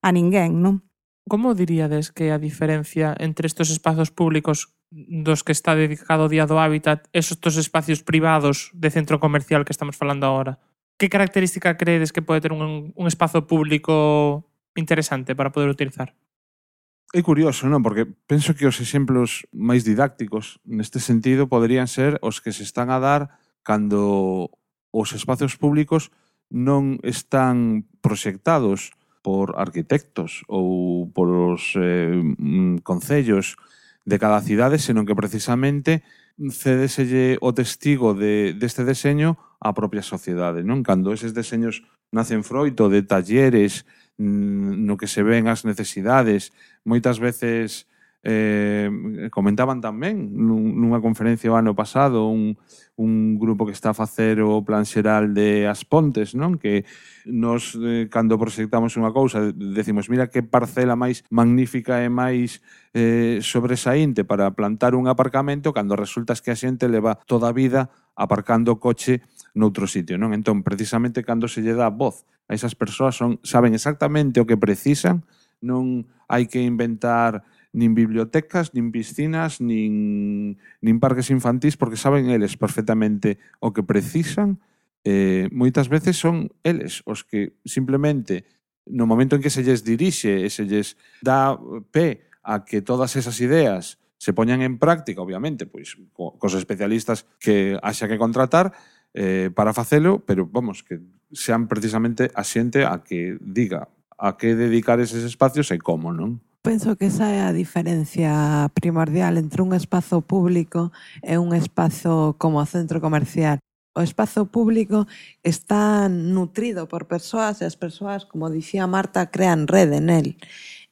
a ninguén, non? Como diríades que a diferencia entre estes espazos públicos dos que está dedicado o Día do Hábitat e estes espacios privados de centro comercial que estamos falando agora? Que característica credes que pode ter un, un espazo público interesante para poder utilizar? É curioso, non? Porque penso que os exemplos máis didácticos neste sentido poderían ser os que se están a dar cando os espacios públicos non están proxectados por arquitectos ou por os eh, concellos de cada cidade, senón que precisamente cedeselle o testigo de, deste deseño á propia sociedade, non? Cando eses deseños nacen froito de talleres no que se ven as necesidades, moitas veces eh, comentaban tamén nunha conferencia o ano pasado un, un grupo que está a facer o plan xeral de As Pontes, non? Que nos, eh, cando proxectamos unha cousa, decimos, mira que parcela máis magnífica e máis eh, sobresaínte para plantar un aparcamento, cando resulta que a xente leva toda a vida aparcando o coche noutro sitio, non? Entón, precisamente, cando se lle dá voz a esas persoas, son, saben exactamente o que precisan, non hai que inventar nin bibliotecas, nin piscinas, nin, nin parques infantís, porque saben eles perfectamente o que precisan. Eh, moitas veces son eles os que simplemente no momento en que se lles dirixe e se lles dá pé a que todas esas ideas se poñan en práctica, obviamente, pois co, cos especialistas que haxa que contratar eh, para facelo, pero vamos, que sean precisamente a xente a que diga a que dedicar eses espacios e como, non? Penso que esa é a diferencia primordial entre un espazo público e un espazo como centro comercial. O espazo público está nutrido por persoas e as persoas, como dicía Marta, crean rede nel.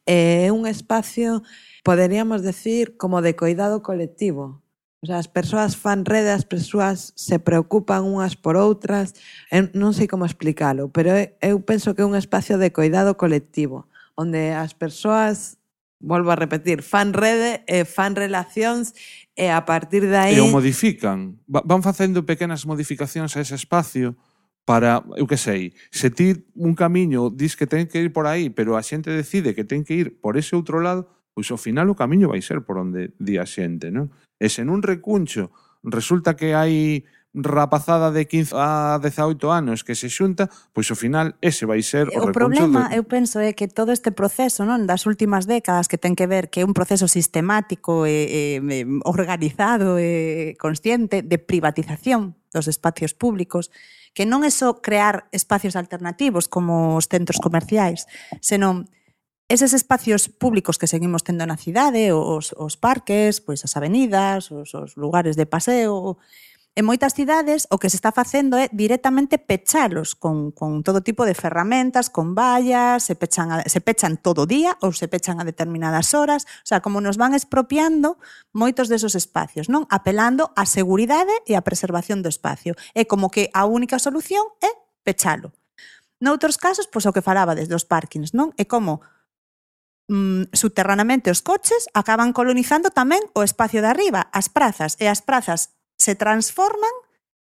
É un espacio, poderíamos decir, como de coidado colectivo. O sea, as persoas fan rede, as persoas se preocupan unhas por outras. Eu non sei como explicalo, pero eu penso que é un espacio de coidado colectivo, onde as persoas, volvo a repetir, fan rede e fan relacións e a partir de aí... E o modifican. Van facendo pequenas modificacións a ese espacio para, eu que sei, se ti un camiño dis que ten que ir por aí, pero a xente decide que ten que ir por ese outro lado, pois ao final o camiño vai ser por onde di a xente, non? E se nun recuncho resulta que hai rapazada de quince a dezaoito anos que se xunta, pois ao final ese vai ser o, o recuncho. problema, de... eu penso, é que todo este proceso, non, das últimas décadas que ten que ver que é un proceso sistemático e, e organizado e consciente de privatización dos espacios públicos, que non é só crear espacios alternativos como os centros comerciais, senón eses espacios públicos que seguimos tendo na cidade, os, os parques, pois as avenidas, os, os lugares de paseo. En moitas cidades o que se está facendo é directamente pechalos con, con todo tipo de ferramentas, con vallas, se pechan, a, se pechan todo o día ou se pechan a determinadas horas, o sea, como nos van expropiando moitos desos espacios, non? Apelando á seguridade e á preservación do espacio. É como que a única solución é pechalo. Noutros casos, pois o que falaba desde os parkings, non? É como mm, subterranamente os coches acaban colonizando tamén o espacio de arriba, as prazas, e as prazas se transforman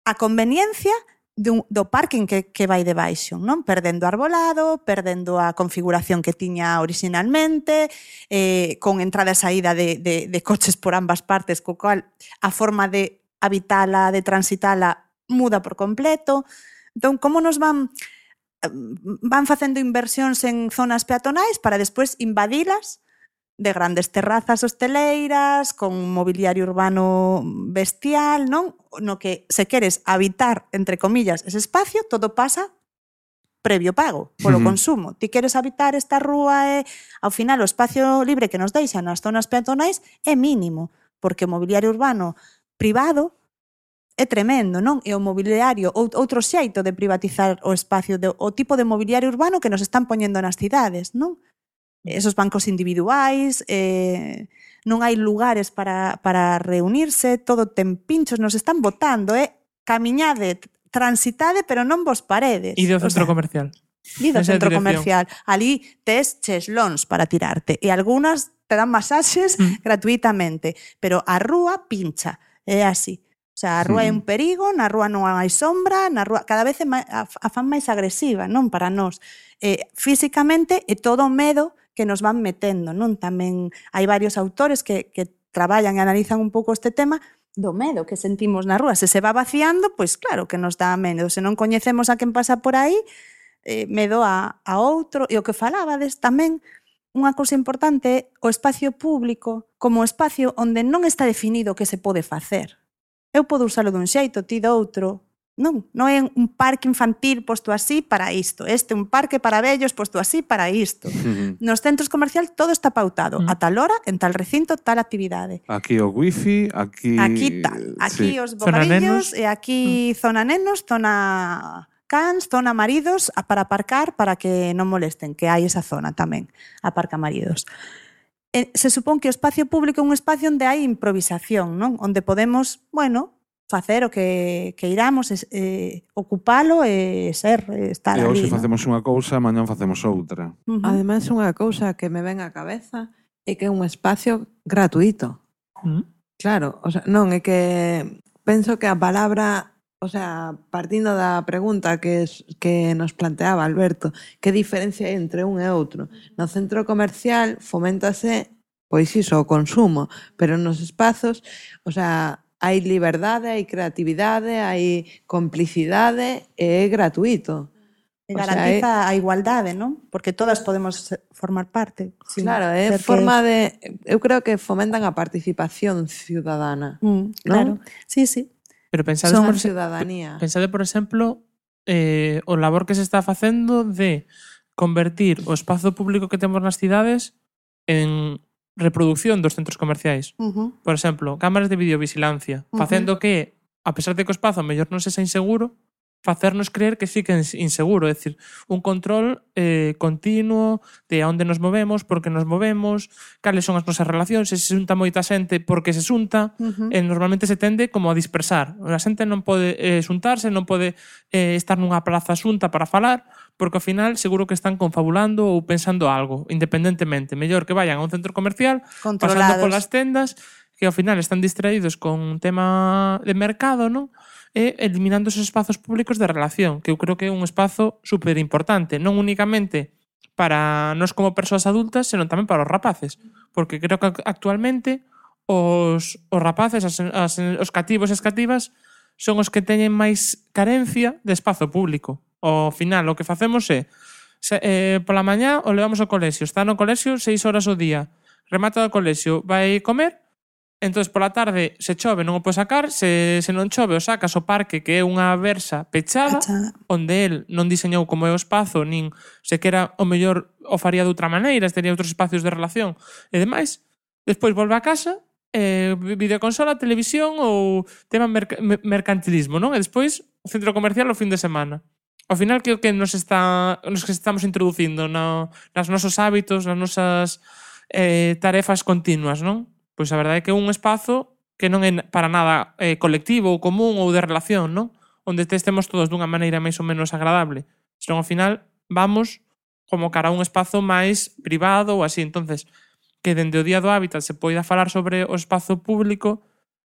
a conveniencia do, do parking que, que vai debaixo, non? Perdendo arbolado, perdendo a configuración que tiña originalmente, eh, con entrada e saída de, de, de coches por ambas partes, co cual a forma de habitala, de transitala, muda por completo. Entón, como nos van van facendo inversións en zonas peatonais para despois invadilas de grandes terrazas hosteleiras, con mobiliario urbano bestial, non? No que se queres habitar, entre comillas, ese espacio, todo pasa previo pago, polo Ujú. consumo. Ti queres habitar esta rúa e, ao final, o espacio libre que nos deixan nas zonas peatonais é mínimo, porque o mobiliario urbano privado é tremendo, non? E o mobiliario, ou- outro xeito de privatizar o espacio, de, o tipo de mobiliario urbano que nos están poñendo nas cidades, non? Esos bancos individuais, eh, non hai lugares para, para reunirse, todo ten pinchos, nos están botando, eh? Camiñade, transitade, pero non vos paredes. E do O centro sea, comercial. E do Esa centro dirección. comercial. Ali tes cheslóns para tirarte. E algunhas te dan masaxes Mm. gratuitamente. Pero a rúa pincha. É así. O sea, a rúa é un perigo, na rúa non hai sombra, na rúa cada vez é máis, a, a fan máis agresiva, non? Para nós. Eh, físicamente é todo o medo que nos van metendo, non? Tamén hai varios autores que, que traballan e analizan un pouco este tema do medo que sentimos na rúa. Se se va vaciando, pois claro que nos dá medo. Se non coñecemos a quen pasa por aí, eh, medo a, a outro. E o que falabades tamén, unha cousa importante, o espacio público como espacio onde non está definido o que se pode facer. Eu podo usalo dun xeito, ti do outro. Non, non é un parque infantil posto así para isto. Este un parque para vellos posto así para isto. Ujú. Nos centros comerciais todo está pautado. Mm. A tal hora, en tal recinto, tal actividade. Aquí o wifi, aquí... Aquí tal, aquí sí. os Zona bocadillos nenos. e aquí zona nenos, zona cans, zona maridos a- para aparcar para que non molesten, que hai esa zona tamén, aparca maridos. E se supón que o espacio público é un espacio onde hai improvisación, non? Onde podemos, bueno, facer o que, que iramos, es, eh, ocupalo e ser, e estar E ali. hoxe non? facemos unha cousa, mañán facemos outra. Ujú. Ademais, unha cousa que me ven á cabeza é que é un espacio gratuito. Mm. Claro, o sea, non, é que penso que a palabra, o sea, partindo da pregunta que, es, que nos planteaba Alberto, que diferencia hai entre un e outro? No centro comercial foméntase, pois iso, o consumo, pero nos espazos, o sea, hai liberdade, hai creatividade, hai complicidade e é gratuito. E O sea, garantiza a igualdade, non? Porque todas podemos ser- formar parte. sin Claro, é ser que- forma de... Eu creo que fomentan a participación ciudadana. Mm, claro, sí, sí. Pero pensade, Son por, a ciudadanía. pensade, por exemplo, eh, o labor que se está facendo de convertir o espazo público que temos nas cidades en reproducción dos centros comerciais. Ujú. Por exemplo, cámaras de videovigilancia, Ujú. facendo que, a pesar de que o espazo mellor non sexa inseguro, facernos creer que sí que é inseguro, é dicir, un control eh, continuo de a onde nos movemos, por que nos movemos, cales son as nosas relacións, se se xunta moita xente, por que se xunta, Ujú. e normalmente se tende como a dispersar. A xente non pode eh, xuntarse, non pode eh, estar nunha plaza xunta para falar, porque ao final seguro que están confabulando ou pensando algo, independentemente. Mellor que vayan a un centro comercial, pasando Controlados. polas tendas, que ao final están distraídos con un tema de mercado, non? E eliminando esos espazos públicos de relación, que eu creo que é un espazo super importante, non únicamente para nós como persoas adultas, senón tamén para os rapaces, porque creo que actualmente os, os rapaces, as, as, os cativos e as cativas, son os que teñen máis carencia de espazo público. Ao final, o que facemos é, se, eh, pola mañá o levamos ao colexio, está no colexio seis horas ao día, remata do colexio, vai comer, entón pola tarde se chove non o pode sacar, se, se non chove o sacas ao parque, que é unha versa pechada, Pechada. onde el non diseñou como é o espazo, nin sequera o mellor o faría de outra maneira, tería outros espacios de relación e demais. Despois volve a casa, eh, videoconsola, televisión ou tema merc mercantilismo, non? E despois o centro comercial o fin de semana. Ao final, que o que nos está nos que estamos introducindo no, nas nosos hábitos, nas nosas eh, tarefas continuas, non? Pois a verdade é que é un espazo que non é para nada eh, colectivo ou común ou de relación, non? Onde estemos todos dunha maneira máis ou menos agradable. Senón, ao final, vamos como cara a un espazo máis privado ou así. Entonces, que dende o Día do Hábitat se poida falar sobre o espazo público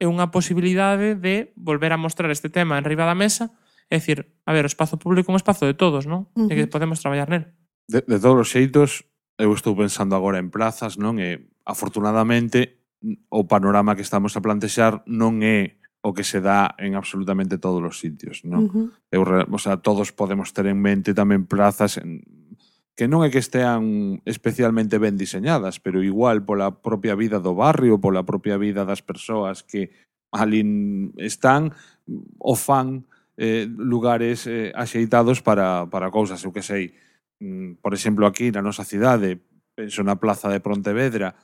é unha posibilidade de volver a mostrar este tema en riba da mesa. É dicir, a ver, o espazo público é un espazo de todos, non? Uh-huh. E que podemos traballar nel. De, de todos os xeitos, eu estou pensando agora en plazas, non? E, afortunadamente, o panorama que estamos a plantexar non é o que se dá en absolutamente todos os sitios, non? Uh-huh. Eu, o sea, todos podemos ter en mente tamén plazas en, que non é que estean especialmente ben diseñadas, pero igual pola propia vida do barrio, pola propia vida das persoas que ali están, o fan eh, lugares eh, axeitados para, para cousas, eu que sei. Por exemplo, aquí na nosa cidade, penso na plaza de Pontevedra,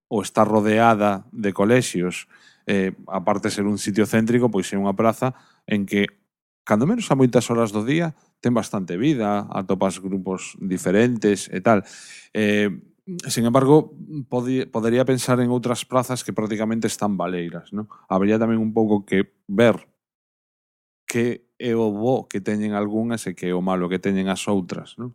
ou está rodeada de colexios, eh, aparte de ser un sitio céntrico, pois é unha praza en que, cando menos a moitas horas do día, ten bastante vida, atopas grupos diferentes e tal. Eh, sin embargo, podi, podería pensar en outras plazas que prácticamente están baleiras, non? Habría tamén un pouco que ver que é o bo que teñen algunhas e que é o malo que teñen as outras, non?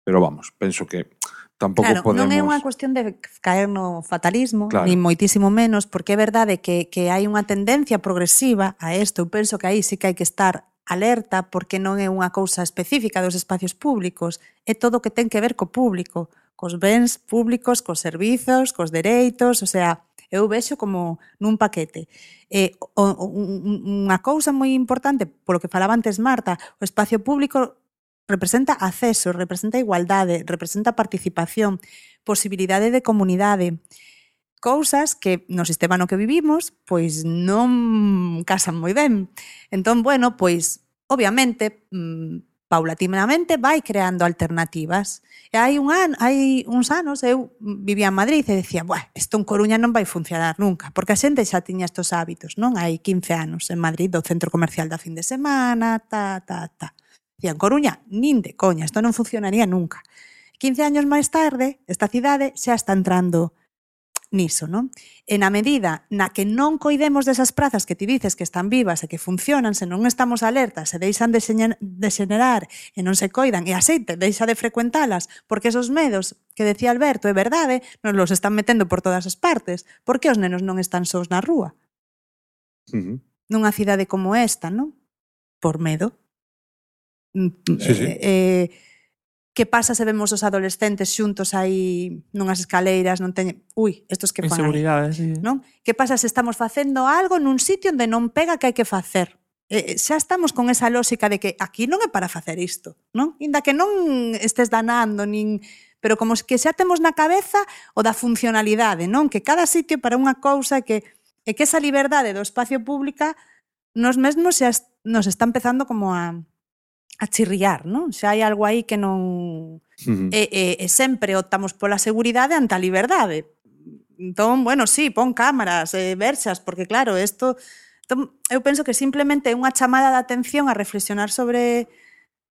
Pero vamos, penso que tampouco claro, podemos... non é unha cuestión de caer no fatalismo, claro. ni moitísimo menos, porque é verdade que, que hai unha tendencia progresiva a isto. Eu penso que aí sí que hai que estar alerta, porque non é unha cousa específica dos espacios públicos, é todo o que ten que ver co público, cos bens públicos, cos servizos, cos dereitos, o sea, eu vexo como nun paquete. Eh, o, o, unha cousa moi importante, polo que falaba antes Marta, o espacio público representa acceso, representa igualdade, representa participación, posibilidade de comunidade, cousas que no sistema no que vivimos pois non casan moi ben. Entón, bueno, pois obviamente mmm, paulatinamente vai creando alternativas. E hai un an, hai uns anos eu vivía en Madrid e decía, buah, isto en Coruña non vai funcionar nunca, porque a xente xa tiña estos hábitos, non? Hai quince anos en Madrid, do centro comercial da fin de semana, ta, ta, ta. Dicía, en Coruña, nin de coña, isto non funcionaría nunca. quince años máis tarde, esta cidade xa está entrando niso, non? E na medida na que non coidemos desas prazas que ti dices que están vivas e que funcionan, se non estamos alertas, se deixan de xenerar e non se coidan, e a xente deixa de frecuentalas, porque esos medos que decía Alberto, é verdade, nos los están metendo por todas as partes. Por que os nenos non están sós na rúa? Uh-huh. Nunha cidade como esta, non? Por medo. Sí, sí. Eh, eh, que pasa se vemos os adolescentes xuntos aí nunhas escaleiras, non teñen... Ui, estos que fan inseguridade, sí. Non? Que pasa se estamos facendo algo nun sitio onde non pega que hai que facer? Eh, xa estamos con esa lógica de que aquí non é para facer isto, non? Inda que non estés danando, nin... pero como que xa temos na cabeza o da funcionalidade, non? Que cada sitio para unha cousa, que, e que esa liberdade do espacio pública nos mesmos xa nos está empezando como a... a chirriar, non? Xa hai algo aí que non... Uh-huh. E, e, e sempre optamos pola seguridade ante a liberdade. Entón, bueno, sí, pon cámaras, eh, versas, porque claro, isto... Entón, eu penso que simplemente é unha chamada de atención a reflexionar sobre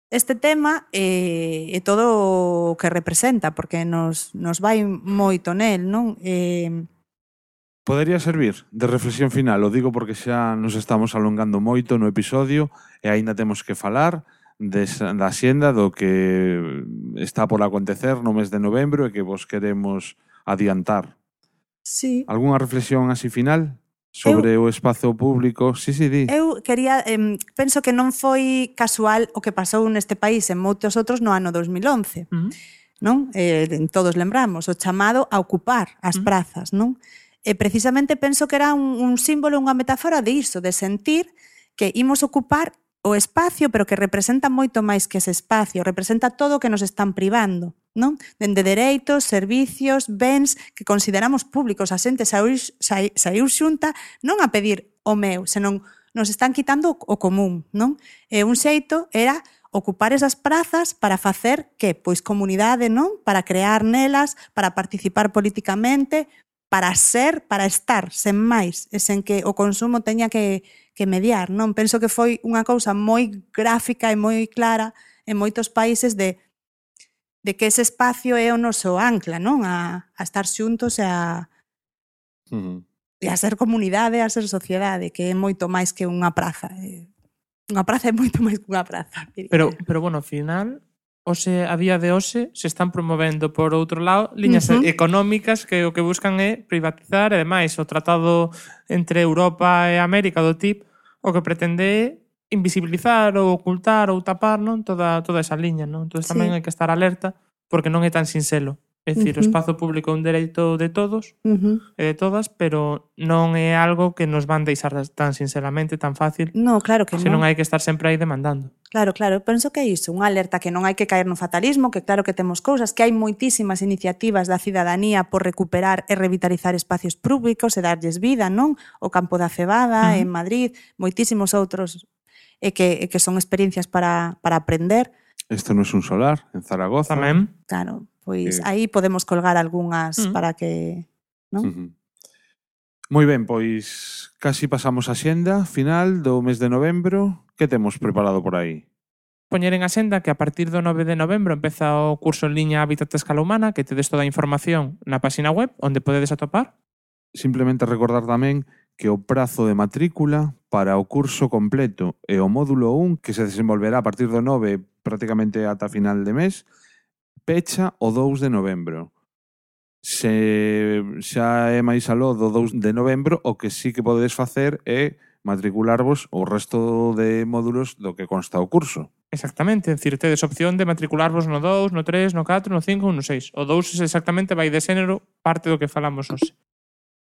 este tema e, e todo o que representa, porque nos, nos vai moito nel, non? Eh... Podería servir de reflexión final, o digo porque xa nos estamos alongando moito no episodio e aínda temos que falar de, da xenda do que está por acontecer no mes de novembro e que vos queremos adiantar. Sí. Algúnha reflexión así final sobre eu, o espazo público? Sí, sí, di. Eu quería, eh, penso que non foi casual o que pasou neste país en moitos outros no ano dos mil once. Uh-huh. Non? Eh, todos lembramos, o chamado a ocupar as uh-huh. prazas, non? E precisamente penso que era un, un símbolo, unha metáfora de iso, de sentir que imos ocupar o espacio, pero que representa moito máis que ese espacio, representa todo o que nos están privando, non? Dende dereitos, servicios, bens que consideramos públicos. A xente saiu xunta non a pedir o meu, senón nos están quitando o común, non? E un xeito era ocupar esas prazas para facer que? Pois comunidade, non? Para crear nelas, para participar políticamente, para ser, para estar, sen máis, e sen que o consumo teña que que mediar, non? Penso que foi unha cousa moi gráfica e moi clara en moitos países de, de que ese espacio é o noso ancla, non? A, a estar xuntos e a, uh-huh. e a ser comunidade, a ser sociedade, que é moito máis que unha praza. Unha praza é moito máis que unha praza. Pero, pero bueno, ao final, hoxe, a día de hoxe, se están promovendo por outro lado liñas uh-huh. económicas que o que buscan é privatizar, e ademais o tratado entre Europa e América do T I P o que pretende é invisibilizar ou ocultar ou tapar, non, toda, toda esa liña, non? Entón tamén sí. hai que estar alerta porque non é tan sinxelo. É dicir, Uh-huh. o espazo público é un dereito de todos Uh-huh. e de todas, pero non é algo que nos van deixar tan sinceramente, tan fácil, No, claro que se non non. hai que estar sempre aí demandando. Claro, claro, penso que é iso, unha alerta que non hai que caer no fatalismo, que claro que temos cousas, que hai moitísimas iniciativas da cidadanía por recuperar e revitalizar espacios públicos e darlles vida, non? O Campo da Cebada, Uh-huh. en Madrid, moitísimos outros, e que, e que son experiencias para, para aprender. Isto non é un solar, en Zaragoza. Tamén. Claro, pois Eh. aí podemos colgar algunhas Mm. para que... non? Uh-huh. Moi ben, pois casi pasamos a xenda final do mes de novembro. Que temos preparado por aí? Poñer en axenda que a partir do nove de novembro empeza o curso en liña Hábitat a Escala Humana, que tedes toda a información na página web, onde podedes atopar. Simplemente recordar tamén que o prazo de matrícula para o curso completo e o módulo un, que se desenvolverá a partir do nove prácticamente ata final de mes, pecha o dous de novembro. Se xa é máis aló do dous de novembro, o que sí que podedes facer é matricularvos o resto de módulos do que consta o curso. Exactamente, é dicir, tedes opción de matricularvos no dous, no tres, no catro, no cinco ou no seis. O dous exactamente vai de xénero, parte do que falamos hoxe.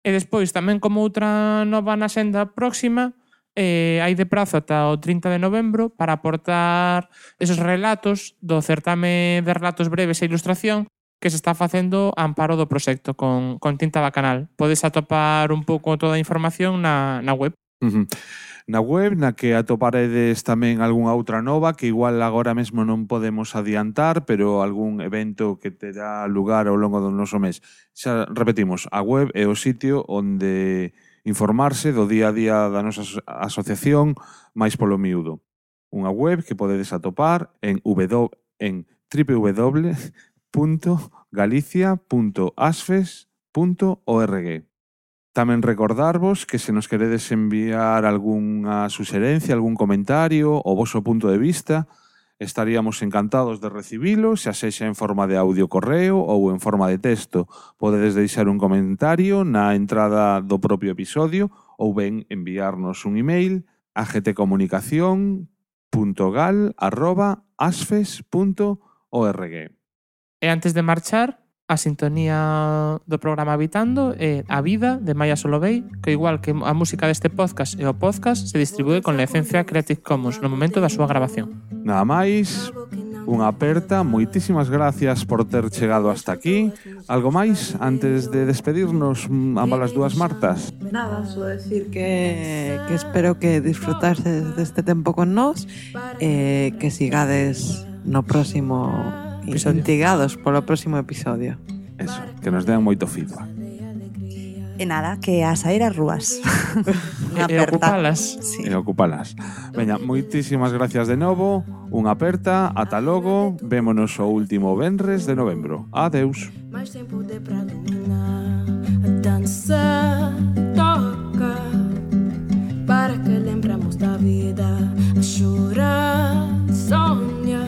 E despois, tamén como outra nova na xenda próxima, eh, hai de prazo ata o trinta de novembro para aportar esos relatos do certame de relatos breves e ilustración que se está facendo a amparo do proxecto con, con tinta bacanal. Podes atopar un pouco toda a información na, na web. Uh-huh. Na web, na que atoparedes tamén algunha outra nova que igual agora mesmo non podemos adiantar, pero algún evento que terá lugar ao longo do noso mes. Xa repetimos, a web é o sitio onde informarse do día a día da nosa asociación máis polo miúdo. Unha web que podedes atopar en, w, en w w w punto galicia punto asfes punto org. Tamén recordarvos que se nos queredes enviar algunha suxerencia, algún comentario, o voso punto de vista, estaríamos encantados de recibilo, xa sexa en forma de audio correo ou en forma de texto. Podedes deixar un comentario na entrada do propio episodio ou ben enviarnos un email a gtcomunicación punto gal arroba asfes punto org. E antes de marchar, a sintonía do programa Habitando é A Vida, de Maya Solovey, que igual que a música deste podcast e o podcast se distribúe con licencia Creative Commons no momento da súa grabación. Nada máis, unha aperta, moitísimas gracias por ter chegado hasta aquí. Algo máis antes de despedirnos, ambas as dúas Martas? Nada, só decir que, que espero que disfrutarses deste tempo con nós, eh, que sigades no próximo Episodio. instigados polo próximo episodio. Eso, que nos dean moito feedback. E nada, que a sair as rúas. Unha E, e aperta. ocupalas. Sí. E ocupalas. Veña, moitísimas gracias de novo. Unha aperta, ata logo. Vémonos o último venres de novembro. Adeus. Mais sem poder pra dominar. A dança toca para que lembramos da vida. A chorar, sonha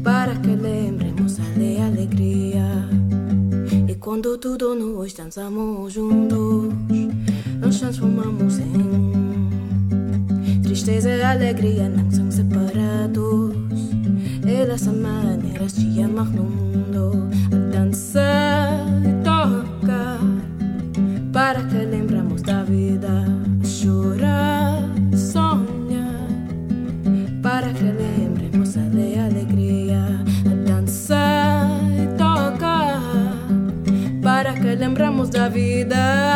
para que lembremos de alegria. E quando tudo nós dançamos juntos, nos transformamos em tristeza e alegria, não são separados. Elas são maneiras de amar no mundo. A dança toca para que lembramos da vida. A chorar, sonha para que lembremos de alegria. A dança toca para que lembramos da vida.